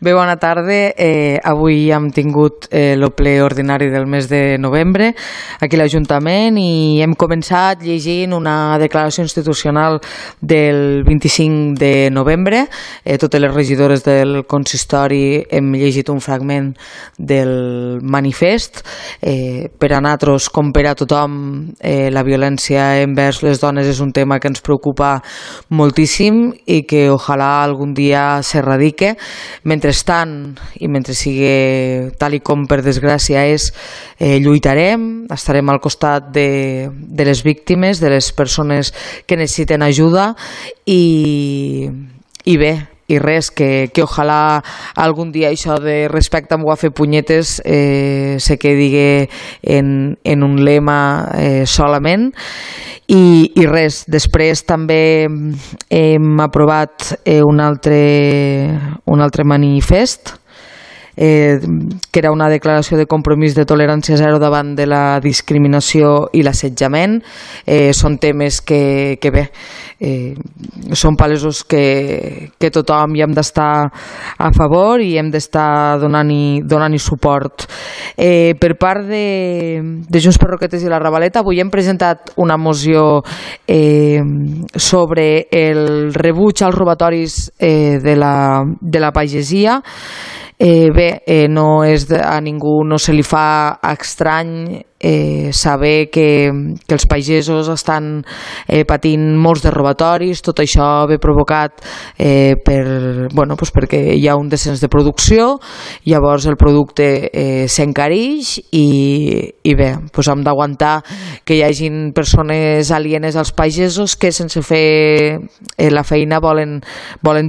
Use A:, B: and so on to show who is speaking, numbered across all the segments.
A: Bé, bona tarda. Avui hem tingut el ple ordinari del mes de novembre aquí a l'Ajuntament i hem començat llegint una declaració institucional del 25 de novembre. Totes les regidores del consistori hem llegit un fragment del manifest. Per a nosaltres, com per a tothom, la violència envers les dones és un tema que ens preocupa moltíssim i que ojalà algun dia s'erradique. Mentrestant, i mentre sigui tal i com per desgràcia és, lluitarem, estarem al costat de les víctimes, de les persones que necessiten ajuda i bé, i res, que ojalà algun dia això de respecte amb fer punyetes se quedi en un lema solament. I res, després també hem aprovat un altre manifest que era una declaració de compromís de tolerància zero davant de la discriminació i l'assetjament. Són temes que bé, són palesos que tothom hi hem d'estar a favor i hem d'estar donant-hi suport. Per part de Junts per Roquetes i la Ravaleta, avui hem presentat una moció sobre el rebuig als robatoris de la pagesia. Bé, a ningú no se li fa estrany saber que els pagesos estan patint molts de robatoris. Tot això ve provocat perquè hi ha un descens de producció, llavors el producte s'encareix i bé, hem d'aguantar que hi hagin persones alienes als pagesos que sense fer la feina volen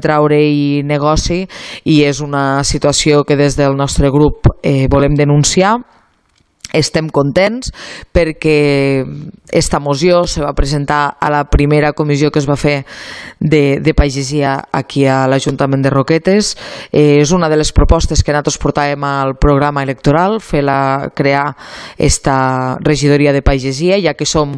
A: treure-hi negoci, i és una situació que des del nostre grup volem denunciar. Estem contents perquè esta moció se va presentar a la primera comissió que es va fer de pagesia aquí a l'Ajuntament de Roquetes. És una de les propostes que nosaltres portàvem al programa electoral, crear esta regidoria de pagesia, ja que som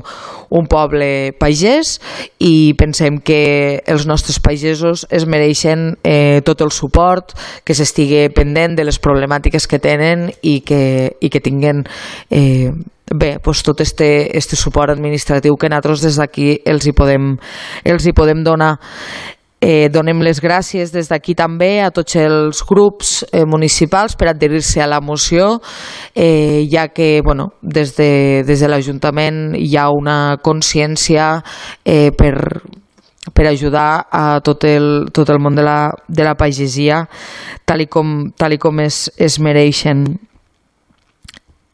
A: un poble pagès i pensem que els nostres pagesos es mereixen tot el suport, que s'estigui pendent de les problemàtiques que tenen i que tinguen tot este suport administratiu que nosaltres des d'aquí els hi podem donar. Donem les gràcies des d'aquí també a tots els grups municipals per adherir-se a la moció, ja que des de l'Ajuntament hi ha una consciència per ajudar a tot el món de la pagesia tal i com es mereixen.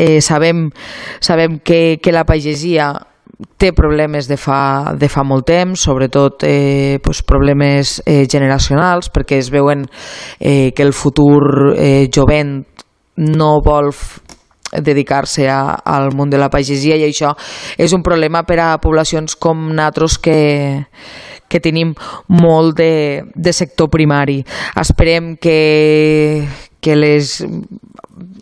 A: Sabem que la pagesia té problemes de fa molt temps, sobretot problemes generacionals, perquè es veuen que el futur jovent no vol dedicar-se al món de la pagesia, i això és un problema per a poblacions com nosaltres que tenim molt de sector primari. Esperem que les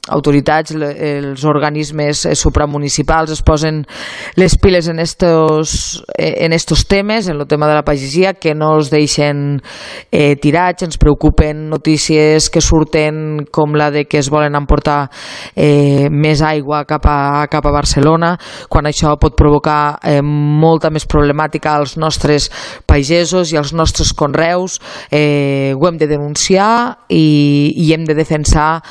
A: autoritats, els organismes supramunicipals es posen les piles en estos temes, en el tema de la pagesia, que no els deixen tirats. Ens preocupen notícies que surten com la de que es volen emportar més aigua cap a Barcelona, quan això pot provocar molta més problemàtica als nostres pagesos i als nostres conreus. Ho hem de denunciar i hem de defensar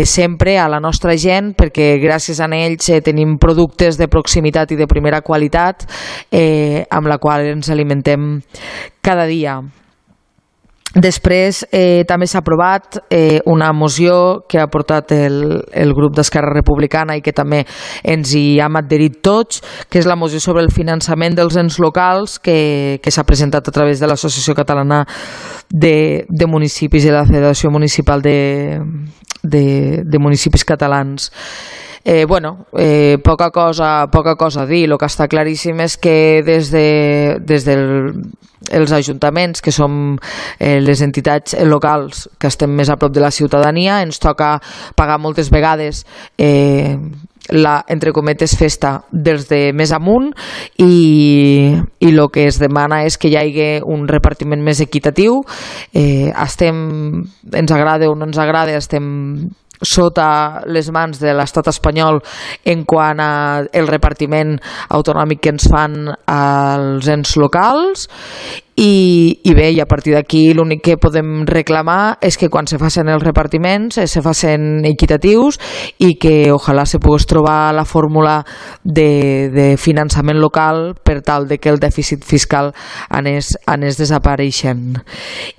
A: sempre a la nostra gent, perquè gràcies a ells tenim productes de proximitat i de primera qualitat amb la qual ens alimentem cada dia. Després també s'ha aprovat una moció que ha portat el grup d'Esquerra Republicana i que també ens hi hem adherit tots, que és la moció sobre el finançament dels ens locals que s'ha presentat a través de l'Associació Catalana de Municipis i la Federació Municipal de Municipis Catalans. Poca cosa a dir. El que està claríssim és que des dels ajuntaments, que som les entitats locals que estem més a prop de la ciutadania, ens toca pagar moltes vegades la, entre cometes, festa dels de més amunt, i el que es demana és que hi hagi un repartiment més equitatiu. Ens agrada o no ens agrada, estem sota les mans de l'estat espanyol en quant al repartiment autonòmic que ens fan als ens locals, i bé, i a partir d'aquí l'únic que podem reclamar és que quan se facin els repartiments se facin equitatius, i que ojalà se pogués trobar la fórmula de finançament local per tal de que el dèficit fiscal anés desapareixent.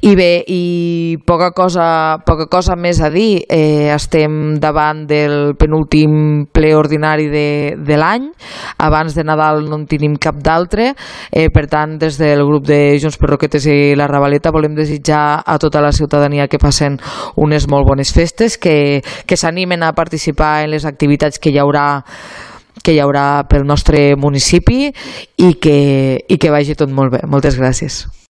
A: I bé, i poca cosa més a dir. Estem davant del penúltim ple ordinari de l'any. Abans de Nadal no en tenim cap d'altre, per tant, des del grup de Junts per Roquetes i la Ravaleta volem desitjar a tota la ciutadania que passen unes molt bones festes, que s'animen a participar en les activitats que hi haurà pel nostre municipi, i que vagi tot molt bé. Moltes gràcies.